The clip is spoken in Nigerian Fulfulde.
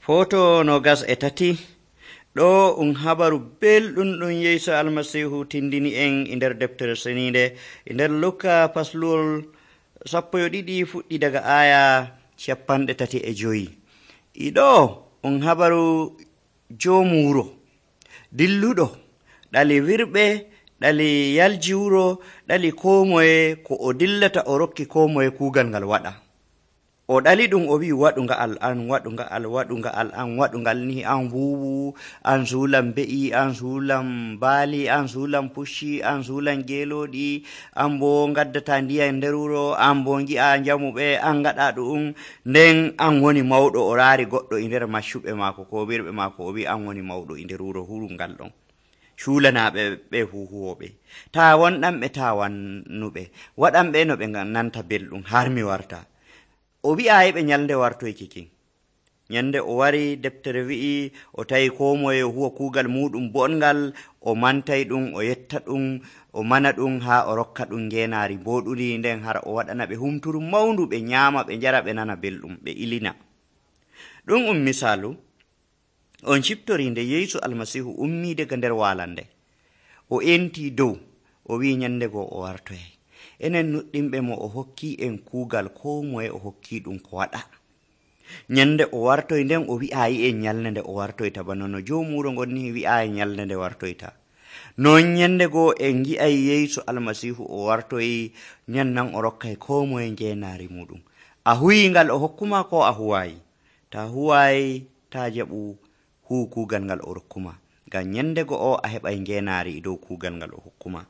Foto no gas e tati ɗo habaru belɗum ɗum Yeesu almasihu tindini en e nder deftere seninde e nder Luka fasluwol 12 fuɗɗi daga aya 35. Iɗo habaru joomu wuro dilluɗo ɗali wirɓe ɗali yalji wuro ɗali ko moye ko o dillata o rokki ko moye kuugal ngal waɗa. O ɗali ɗum o wi waɗu nga'al an, waɗu nga'al, waɗu nga'al an, waɗu ngal ni an wuwu, an suulan be'i, an suulan baali, an suulan pucci, an suulan geelooɗi, an bo ngaddata ndiyam nder wuro, an bo ngi'a jamuɓe, an ngaɗa ɗum, nden an woni mawɗo. O raari goɗɗo e nder maccuɓe maako ko wirɓe maako, o wi an woni mawɗo e nder wuro hurungal ɗon. Cuulanaaɓe ɓe huuhuwoɓe, taa wonɗanɓe taa wannuɓe, waɗanɓe no ɓe nanta belɗum har mi warta. O wi'aayi ɓe nyalnde wartoyki kin. Nyande o wari, deftere wi'i o tawi ko moye huwa kuugal muɗum bongal, o mantay ɗum, o yetta ɗum, o mana ɗum haa o rokka ɗum ngeenaari mboɗuri, nden har o waɗana ɓe humturu mawndu, ɓe nyaama, ɓe njara, ɓe nana belɗum, ɓe ilina. Ɗum misaalu on ciftori nde Yeesu almasihu ummii daga nder waalande. O enti dow, o wi'i nyande goo o wartoyay. Enen nuɗɗinɓe mo o hokki en kuugal ko moye o hokki ɗum ko waɗa. Nyande o wartoy, nden o wi'aayi en nyalde nde o wartoyta, bana no joomu wuro ngon ni wi'aayi nyalde nde wartoyta. Non nyande goo en ngi'ay Yeesu almasihu o wartoyi, nyannan o rokkay ko moye ngeenaari muɗum. A huwii ngal o hokkuma ko a huwaayi? Ta huwaayi, ta jaɓu huu kuugal ngal o rokkuma, ngam nyande go'o a heɓay ngeenaari dow kuugal ngal o hokkuma.